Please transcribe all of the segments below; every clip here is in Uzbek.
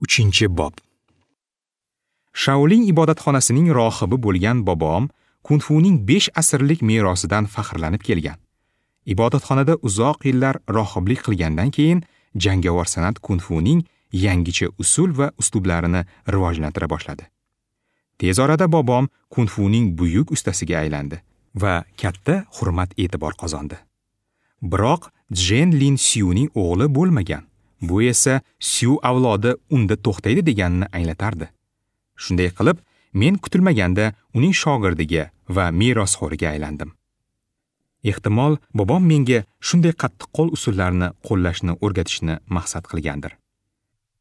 3-bob. Shaolin ibodatxonasining rohibi bo'lgan bobom kung-funing 5 asrlik merosidan faxrlanib kelgan. Ibodatxonada uzoq yillar rohiblik qilgandan keyin jangovar san'at kung-funing yangicha usul va uslublarini rivojlantira boshladi. Tez orada bobom kung-funing buyuk ustasiga aylandi va katta hurmat-e'tibor qozondi. Biroq Jen Lin Syuning o'g'li bo'lmagan. Bu esa Syu avlodi unda to'xtaydi deganini anglatardi. Shunday qilib, men kutilmaganda uning shogirdiga va merosxo'riga aylandim. Ehtimol, bobom menga shunday qattiqqo'l usullarni qo'llashni o'rgatishni maqsad qilgandir.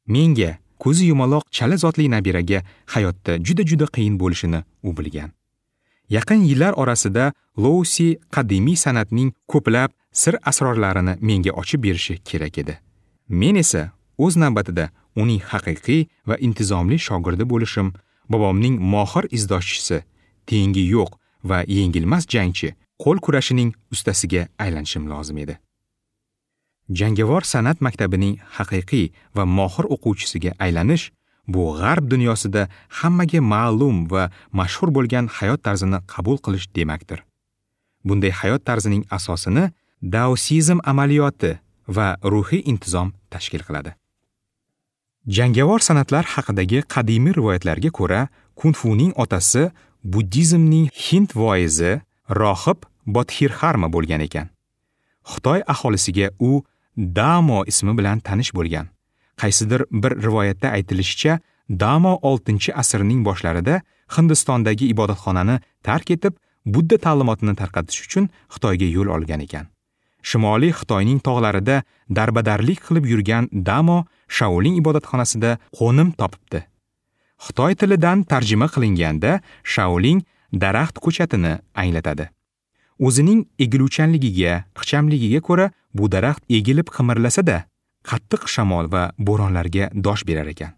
Menga ko'zi yumaloq chala zotli nabiraga hayotda juda-juda qiyin bo'lishini u bilgan. Yaqin yillar orasida Lousi qadimiy san'atning ko'plab sir asrorlarini menga ochib berishi kerak edi. Men esa o'z navbatida uning haqiqiy va intizomli shogirdi bo'lishim, bobomning mohir izdoshchisi, tengi yo'q va yengilmas jangchi, qo'l kurashining ustasiga aylanishim lozim edi. Jangovar san'at maktabining haqiqiy va mohir o'quvchisiga aylanish bu g'arb dunyosida hammaga ma'lum va mashhur bo'lgan hayot tarzini qabul qilish demakdir. Bunday hayot tarzining asosini daosizm amaliyoti va ruhiy intizom tashkil qiladi. Jangovar san'atlar haqidagi qadimiy rivoyatlarga ko'ra, kung-funing otasi buddizmning hind voizi rohib Bodhidharma bo'lgan ekan. Xitoy aholisiga u Damo ismi bilan tanish bo'lgan. Qaysidir bir rivoyatda aytilishicha, Damo 6-asrning boshlarida Hindistondagi ibodatxonani tark etib, Budda ta'limotini tarqatish uchun Xitoyga yo'l olgan ekan. Shimoliy Xitoyning tog'larida darbadarlik qilib yurgan Damo Shaolin ibodatxonasida qo'nim topibdi. Xitoy tilidan tarjima qilinganda Shaolin daraxt ko'chatini anglatadi. O'zining egiluvchanligiga, ixchamligiga ko'ra bu daraxt egilib qimirlasa-da, qattiq shamol va bo'ronlarga dosh berar ekan.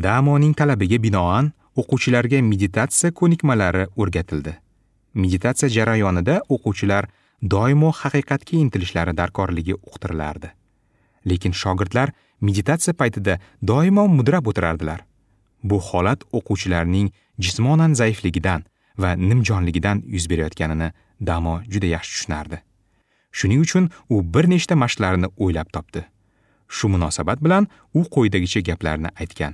Damoning talabiga binoan o'quvchilarga meditatsiya ko'nikmalari o'rgatildi. Meditatsiya jarayonida o'quvchilar doimo haqiqatga intilishlari darkorligi uqtirilardi. Lekin shogirdlar meditatsiya paytida doimo mudrab o'tirardilar. Bu holat o'quvchilarning jismonan zaifligidan va nimjonligidan yuz berayotganini Damo juda yaxshi tushunardi. Shuning uchun u bir nechta mashqlarni o'ylab topdi. Shu munosabat bilan u quyidagicha gaplarni aytgan.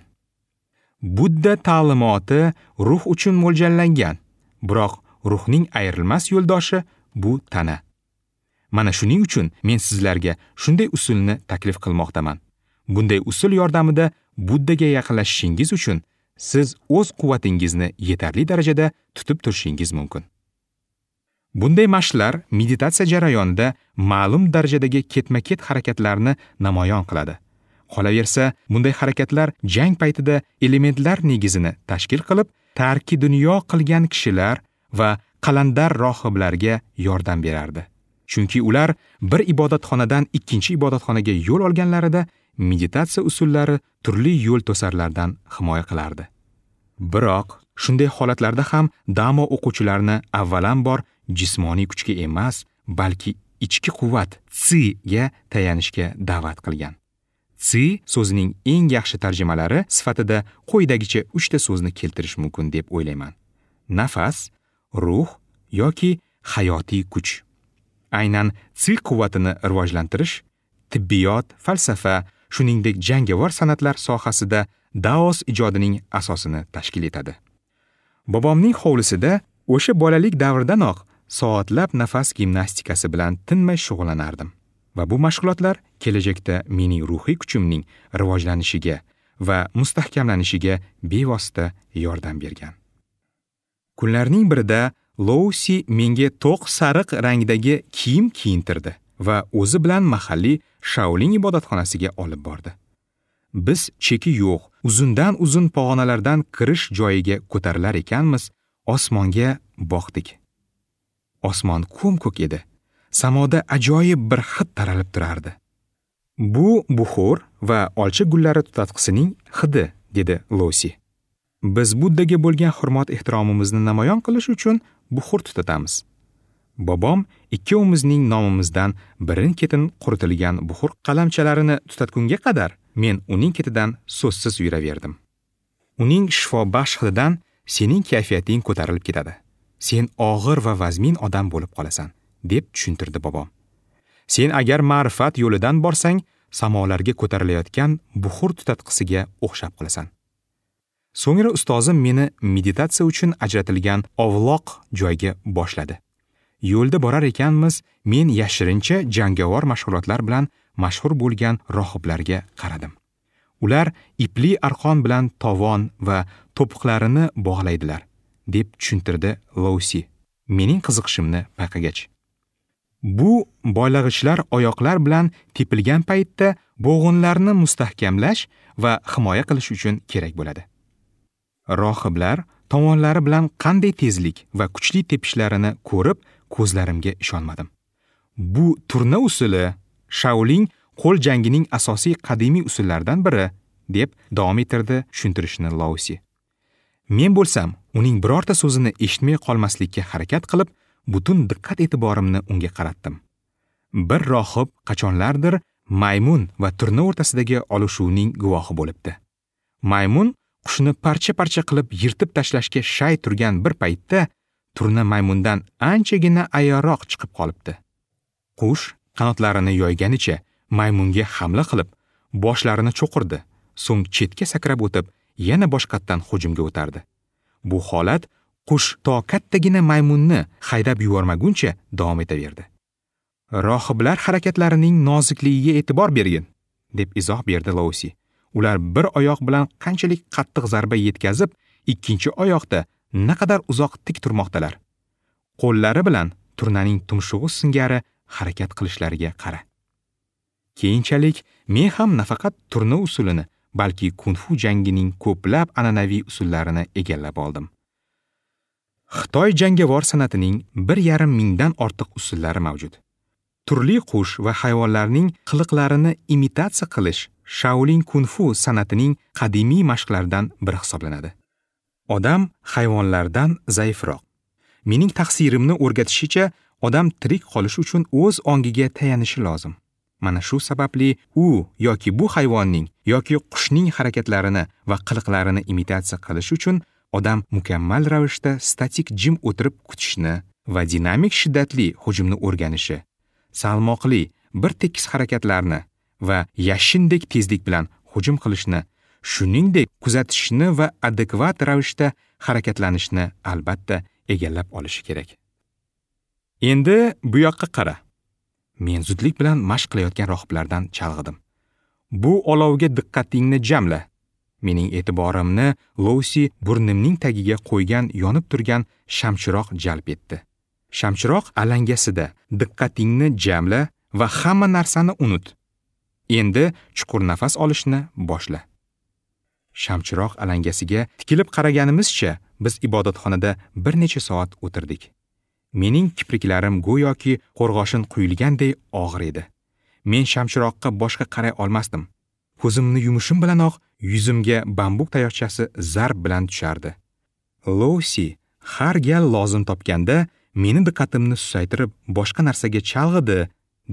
Budda ta'limoti ruh uchun mo'ljallangan, biroq ruhning ayrilmas yo'ldoshi bu tana. Mana shuning uchun men sizlarga shunday usulni taklif qilmoqdaman. Bunday usul yordamida Buddaga yaqinlashishingiz uchun siz o'z quvvatingizni yetarli darajada tutib turishingiz mumkin. Bunday mashqlar meditatsiya jarayonida ma'lum darajadagi ketma-ket harakatlarni namoyon qiladi. Qolaversa, bunday harakatlar jang paytida elementlar negizini tashkil qilib, tarki dunyo qilgan kishilar va qalandar rohiblarga yordam berardi. Chunki ular bir ibodatxonadan ikkinchi ibodatxonaga yo'l olganlarida meditatsiya usullari turli yo'l to'sarlardan himoya qilardi. Biroq shunday holatlarda ham Damo o'quvchilarni avvalambor jismoniy kuchga emas, balki ichki quvvat tsi-ga tayanishga da'vat qilgan. Tsi so'zining eng yaxshi tarjimalari sifatida quyidagicha 3 ta so'zni keltirish mumkin deb o'ylayman. Nafas, ruh yoki hayotiy kuch. Aynan tsi quvvatini rivojlantirish tibbiyot, falsafa, shuningdek jangovar san'atlar sohasida daos ijodining asosini tashkil etadi. Bobomning hovlisida o'sha bolalik davridanoq soatlab nafas gimnastikasi bilan tinmay shug'ullanardim va bu mashg'ulotlar kelajakda mening ruhiy kuchimning rivojlanishiga va mustahkamlanishiga bevosita yordam bergan. Kunlarning birida Lousi menga to'q sariq rangdagi kiyim kiyintirdi va o'zi bilan mahalliy Shaolin ibodatxonasiga olib bordi. Biz cheki yo'q, uzundan uzun pog'onalardan kirish joyiga ko'tarilar ekanmiz, osmonga boqdik. Osmon ko'm-ko'k edi. Samoda ajoyib bir hid taralib turardi. Bu buxor va olcha gullari tutatqisining hidi, dedi Lousi. Biz Buddaga bo'lgan hurmat-ehtiromimizni namoyon qilish uchun buxur tutatamiz. Bobom ikkovimizning nomimizdan birin-ketin quritilgan buxur qalamchalarini tutatgunga qadar Men uning ketidan so'zsiz yuraverdim. Uning shifobaxsh hididan sening kayfiyating ko'tarilib ketadi. Sen og'ir va vazmin odam bo'lib qolasan, deb tushuntirdi bobom. Sen agar ma'rifat yo'lidan borsang, samolarga ko'tarilayotgan buxur tutatqisiga o'xshab qolasan. So'ngra ustozim meni meditatsiya uchun ajratilgan ovloq joyga boshladi. Yo'lda borar ekanmiz, men yashirincha jangovar mashg'ulotlar bilan mashhur bo'lgan rohiblarga qaradim. Ular ipli arqon bilan tovon va to'piqlarini bog'laydilar, deb tushuntirdi Lousi, mening qiziqishimni payqagach. Bu boylag'ichlar oyoqlar bilan tepilgan paytda bo'g'inlarni mustahkamlash va himoya qilish uchun kerak bo'ladi. Rohiblar tovonlari bilan qanday tezlik va kuchli tepishlarini ko'rib, ko'zlarimga ishonmadim. Bu turna usuli Shaolin qo'l jangining asosiy qadimiy usullaridan biri, deb davom ettirdi tushuntirishni Lousi. Men bo'lsam, uning birorta so'zini eshitmay qolmaslikka harakat qilib, butun diqqat-e'tiborimni unga qaratdim. Bir rohib qachonlardir maymun va turna o'rtasidagi olishuvning guvohi bo'libdi. Maymun qushni parcha-parcha qilib yirtib tashlashga shay turgan bir paytda turna maymundan anchagina ayoroq chiqib qolibdi. Qush qanotlarini yoyganicha maymunga hamla qilib, boshlarini cho'qirdi, so'ng chetga sakrab o'tib, yana boshqatdan hujumga o'tardi. Bu holat qush to kattagina maymunni haydab yubormaguncha davom etaverdi. Rohiblar harakatlarining nozikligiga e'tibor bergin, deb izoh berdi Lousi. Ular bir oyoq bilan qanchalik qattiq zarba yetkazib, ikkinchi oyoqda naqadar uzoq tik turmoqdalar. Qo'llari bilan turnaning tumshug'i singari harakat qilishlariga qara. Keyinchalik men ham nafaqat turna usulini, balki kung-fu jangining ko'plab an'anaviy usullarini egallab oldim. Xitoy jangovar san'atining 1,5 mingdan ortiq usullari mavjud. Turli qush va hayvonlarning qiliqlarini imitatsiya qilish Shaolin kung-fu san'atining qadimiy mashqlaridan biri hisoblanadi. Odam hayvonlardan zaifroq. Mening taqsirimni o'rgatishicha, odam tirik qolish uchun o'z ongiga tayanishi lozim. Mana shu sababli u yoki bu hayvonning yoki qushning harakatlarini va qiliqlarini imitatsiya qilish uchun odam mukammal ravishda statik jim o'tirib kutishni va dinamik shiddatli hujumni o'rganishi, salmoqli bir tekis harakatlarni va yashindek tezlik bilan hujum qilishni, shuningdek kuzatishni va adekvat ravishda harakatlanishni albatta egallab olishi kerak. Endi bu yoqqa qara. Men zudlik bilan mashq qilayotgan rohiblardan chalg'idim. Bu olovga diqqatingni jamla. Mening e'tiborimni Lousi burnimning tagiga qo'ygan yonib turgan shamchiroq jalb etdi. Shamchiroq alangasida diqqatingni jamla va hamma narsani unut. Endi chuqur nafas olishni boshla. Shamchiroq alangasiga tikilib qaraganimizcha biz ibodatxonada bir necha soat o'tirdik. Mening kipriklarim go'yoki qo'rg'oshin quyilganday og'ir edi. Men shamchiroqqa boshqa qaray olmasdim. Ko'zimni yumishim bilanoq yuzimga bambuk tayoqchasi zarb bilan tushardi. Lousi har gal lozim topganda meni diqqatimni susaytirib boshqa narsaga chalg'idi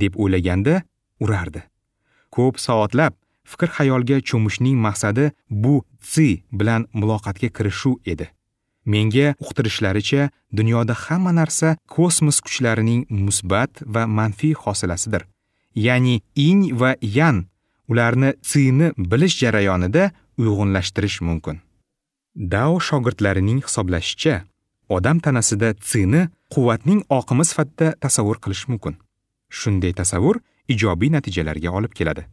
deb o'ylaganda urardi. Ko'p soatlab fikr-xayolga cho'mishning maqsadi bu tsi bilan muloqotga kirishuv edi. Menga uqtirishlaricha, dunyoda hamma narsa kosmos kuchlarining musbat va manfiy hosilasidir. Ya'ni yin va yan, ularni tsini bilish jarayonida uyg'unlashtirish mumkin. Dao shogirdlarining hisoblashicha, odam tanasida tsini quvvatning oqimi sifatida tasavvur qilish mumkin. Shunday tasavvur ijobiy natijalarga olib keladi.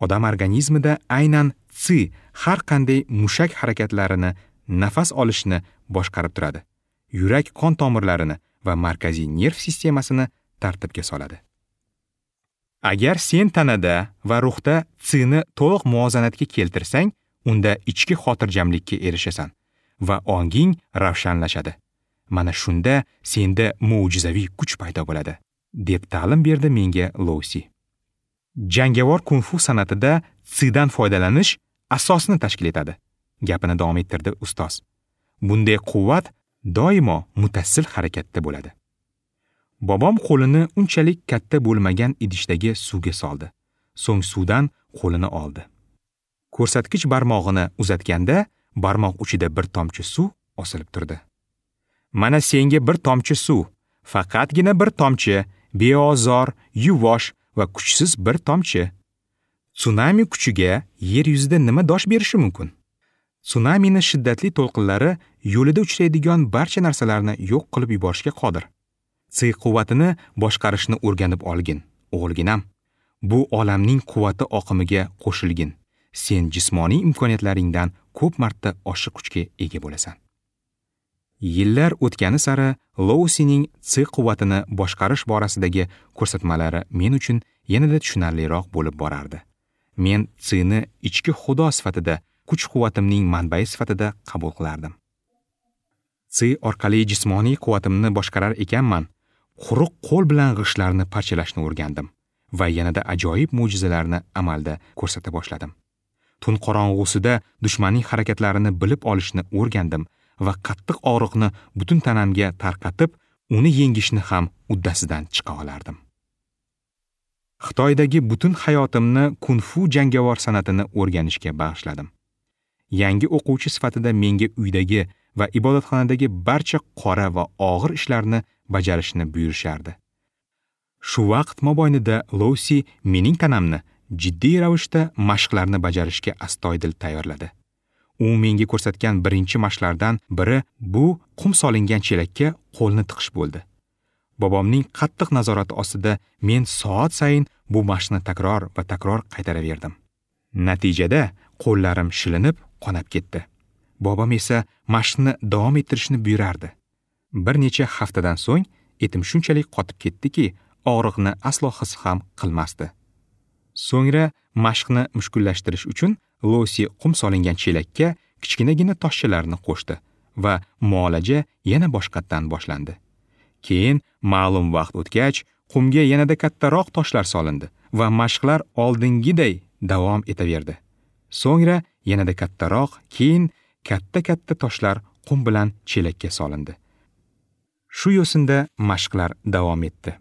Odam organizmida aynan tsi har qanday mushak harakatlarini, nafas olishni boshqarib turadi. Yurak qon tomirlarini va markaziy nerv sistemasini tartibga soladi. Agar sen tanada va ruhda tsini to'liq muvozanatga keltirsang, unda ichki xotirjamlikka erishasan va onging ravshanlashadi. Mana shunda senda mo'jizaviy kuch paydo bo'ladi, deb ta'lim berdi menga Lousi. Jangovar kung-fu san'atida tsidan foydalanish asosni tashkil etadi, gapini davom ettirdi ustoz. Bunday quvvat doimo mutassil harakatda bo'ladi. Bobom qo'lini unchalik katta bo'lmagan idishdagi suvga soldi. So'ng suvdan qo'lini oldi. Ko'rsatkich barmog'ini uzatganda barmoq uchida bir tomchi suv osilib turdi. Mana senga bir tomchi suv, faqatgina bir tomchi, beozor, yuvosh va kuchsiz bir tomchi. Tsunami kuchiga yer yuzida nima dosh berishi mumkin? Tsunamini shiddatli to'lqinlari yo'lida uchraydigan barcha narsalarni yo'q qilib yuborishga qodir. Tsi quvvatini boshqarishni o'rganib olgin, o'g'ilginam. Bu olamning quvvati oqimiga qo'shilgin. Sen jismoniy imkoniyatlaringdan ko'p marta oshiq kuchga ega bo'lasan. Yillar o'tgani sari Lousining tsi quvvatini boshqarish borasidagi ko'rsatmalari men uchun yanada tushunarliroq bo'lib borardi. Men tsini ichki xudo sifatida, kuch-quvvatimning manbai sifatida qabul qilardim. Tsi orqali jismoniy quvvatimni boshqarar ekanman, quruq qo'l bilan g'ishtlarni parchalashni o'rgandim va yanada ajoyib mo'jizalarni amalda ko'rsata boshladim. Tun qorong'usida dushmanning harakatlarini bilib olishni o'rgandim va qattiq og'riqni butun tanamga tarqatib, uni yengishni ham uddasidan chiqa olardim. Xitoydagi butun hayotimni kung-fu jangovar san'atini o'rganishga bag'ishladim. Yangi o'quvchi sifatida menga uydagi va ibodatxonadagi barcha qora va og'ir ishlarni bajarishni buyurishardi. Shu vaqt mobaynida Lousi mening tanamni jiddiy ravishda mashqlarni bajarishga astoydil tayyorladi. U menga ko'rsatgan birinchi mashqlardan biri bu qum solingan chelakka qo'lni tiqish bo'ldi. Bobomning qattiq nazorati ostida men soat sayin bu mashqni takror va takror qaytaraverdim. Natijada qo'llarim shilinib, qonab ketdi. Bobom esa mashqni davom ettirishni buyurardi. Bir necha haftadan so'ng etim shunchalik qotib ketdiki, og'riqni aslo his ham qilmasdi. So'ngra mashqni mushkullashtirish uchun Lousi qum solingan chelakka kichkinagina toshchalarni qo'shdi va muolaja yana boshqatdan boshlandi. Keyin ma'lum vaqt o'tgach, qumga yanada kattaroq toshlar solindi va mashqlar oldingiday davom etaverdi. So'ngra yanada kattaroq, keyin katta-katta toshlar qum bilan chelakka solindi. Shu yo'sinda mashqlar davom etdi.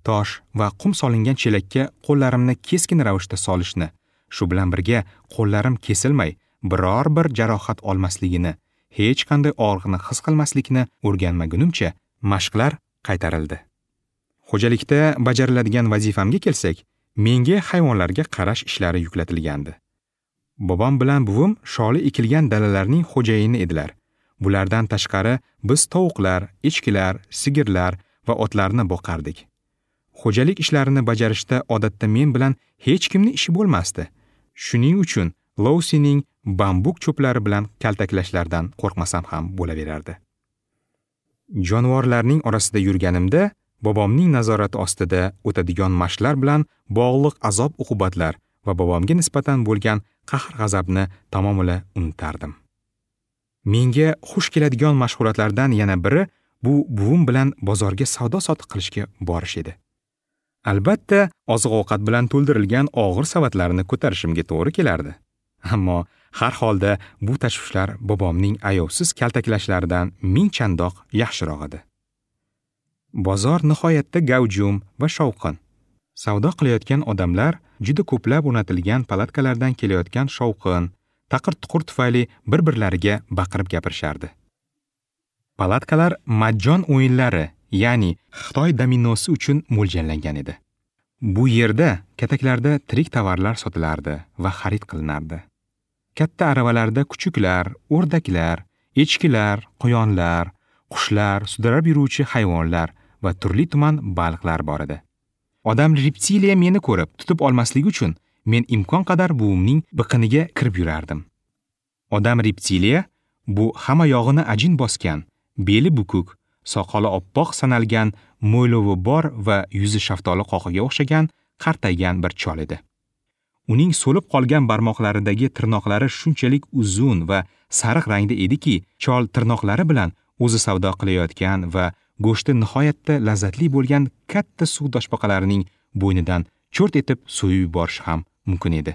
Tosh va qum solingan chelakka qo'llarimni keskin ravishda solishni, shu bilan birga qo'llarim kesilmay, biror bir jarohat olmasligini, hech qanday og'riqni his qilmaslikni o'rganmagunimcha mashqlar qaytarildi. Xo'jalikda bajariladigan vazifamga kelsak, menga hayvonlarga qarash ishlari yuklatilgandi. Bobom bilan buvim sholi ekilgan dalalarning xo'jayini edilar. Bulardan tashqari biz tovuqlar, echkilar, sigirlar va otlarni boqardik. Xo'jalik ishlarini bajarishda odatda men bilan hech kimning ishi bo'lmasdi. Shuning uchun Lousining bambuk cho'plari bilan kaltaklashlaridan qo'rqmasam ham bo'laverardi. Jonivorlarning orasida yurganimda bobomning nazorati ostida o'tadigan mashqlar bilan bog'liq azob-uqubatlar va bobomga nisbatan bo'lgan qahr-g'azabni tamomila unutardim. Menga xush keladigan mashg'ulotlardan yana biri bu buvim bilan bozorga savdo-sotiq qilishga borish edi. Albatta, oziq-ovqat bilan to'ldirilgan og'ir savatlarni ko'tarishimga to'g'ri kelardi. Ammo har holda bu tashvishlar bobomning ayovsiz kaltaklashlaridan ming chandoq yaxshiroq edi. Bozor nihoyatda gavjum va shovqin. Savdo qilayotgan odamlar juda ko'plab o'rnatilgan palatkalardan kelayotgan shovqin, taqir-tuqur tufayli bir-birlariga baqirib gapirishardi. Palatkalar majjon o'yinlari, ya'ni Xitoy dominosi uchun mo'ljallangan edi. Bu yerda kataklarda tirik tovarlar sotilardi va xarid qilinardi. Katta aravalarda kuchuklar, o'rdaklar, echkilar, quyonlar, qushlar, sudrab yuruvchi hayvonlar va turli tuman baliqlar bor edi. Odam reptiliya meni ko'rib tutib olmasligi uchun men imkon qadar buvimning biqiniga kirib yurardim. Odam reptiliya bu hamma yog'ini ajin bosgan, beli bukuk, soqoli oppoq sanalgan, mo'ylovi bor va yuzi shaftoli qoqiga o'xshagan qartaygan bir chol edi. Uning so'lib qolgan barmoqlaridagi tirnoqlari shunchalik uzun va sariq rangda ediki, chol tirnoqlari bilan o'zi savdo qilayotgan va go'shti nihoyatda lazzatli bo'lgan katta suv toshbaqalarining bo'ynidan cho'rt etib so'yib yuborishi ham mumkin edi.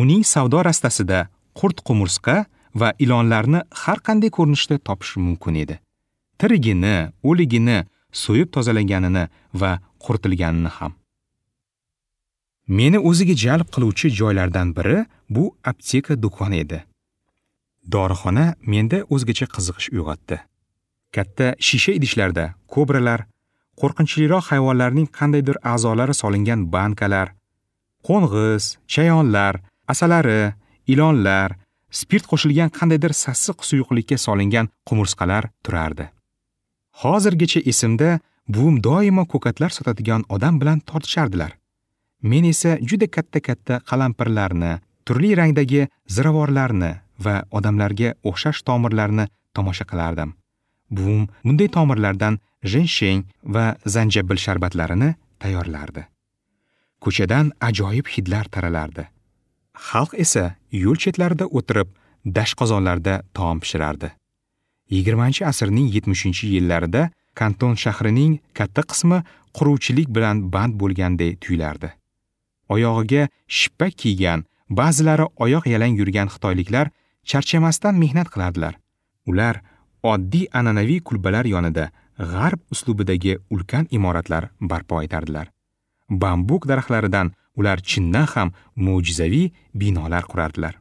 Uning savdo rastasida qurt-qumursqa va ilonlarni har qanday ko'rinishda topish mumkin edi. Tirigini, o'ligini, so'yib tozalanganini va quritilganini ham. Meni o'ziga jalb qiluvchi joylardan biri Bu apteka do'koni edi. Dorixona menda o'zgacha qiziqish uyg'otdi. Katta shisha idishlarda kobralar, qo'rqinchliroq hayvonlarning qandaydir a'zolari solingan bankalar, qo'ng'iz, chayonlar, asalari, ilonlar, spirt qo'shilgan qandaydir sassiq suyuqlikka solingan qumursqalar turardi. Hozirgacha esimda, buvim doimo ko'katlar sotadigan odam bilan tortishardilar. Men esa juda katta-katta qalampirlarni, turli rangdagi ziravorlarni va odamlarga o'xshash tomirlarni tomosha qilardim. Buvim bunday tomirlardan jensheng va zanjabil sharbatlarini tayyorlardi. Ko'chadan ajoyib hidlar taralardi. Xalq esa yo'l chetlarida o'tirib, dashqozonlarda taom pishirardi. 20-asrning 70-yillarida Kanton shahrining katta qismi quruvchilik bilan band bo'lganday tuyulardi. Oyog'iga shippak kiygan, ba'zilari oyoq yalang yurgan xitoyliklar charchamasdan mehnat qilardilar. Ular oddiy an'anaviy kulbalar yonida g'arb uslubidagi ulkan imoratlar barpo etardilar. Bambuk daraxtlaridan ular chindan ham mo'jizaviy binolar qurardilar.